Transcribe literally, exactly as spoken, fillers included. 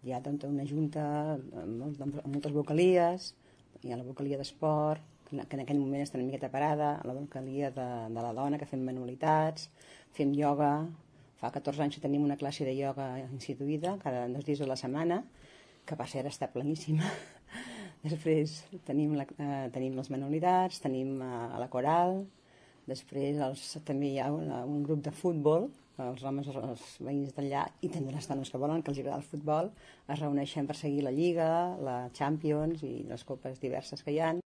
hi ha tota una junta amb, amb moltes vocalies, hi ha la vocalia d'esport, que en aquell moment està una miqueta parada, la vocalia de, de la dona, que fem manualitats, fem ioga, fa catorze anys que tenim una classe de ioga instituïda, cada dos dies a la setmana, que per cert està pleníssima. Després tenim, la, eh, tenim les manualitats, tenim eh, la coral, després els, també hi ha una, un grup de futbol, els homes, els veïns d'allà, i també les dones que volen, que els agrada el futbol, es reuneixen per seguir la Lliga, la Champions i les copes diverses que hi ha.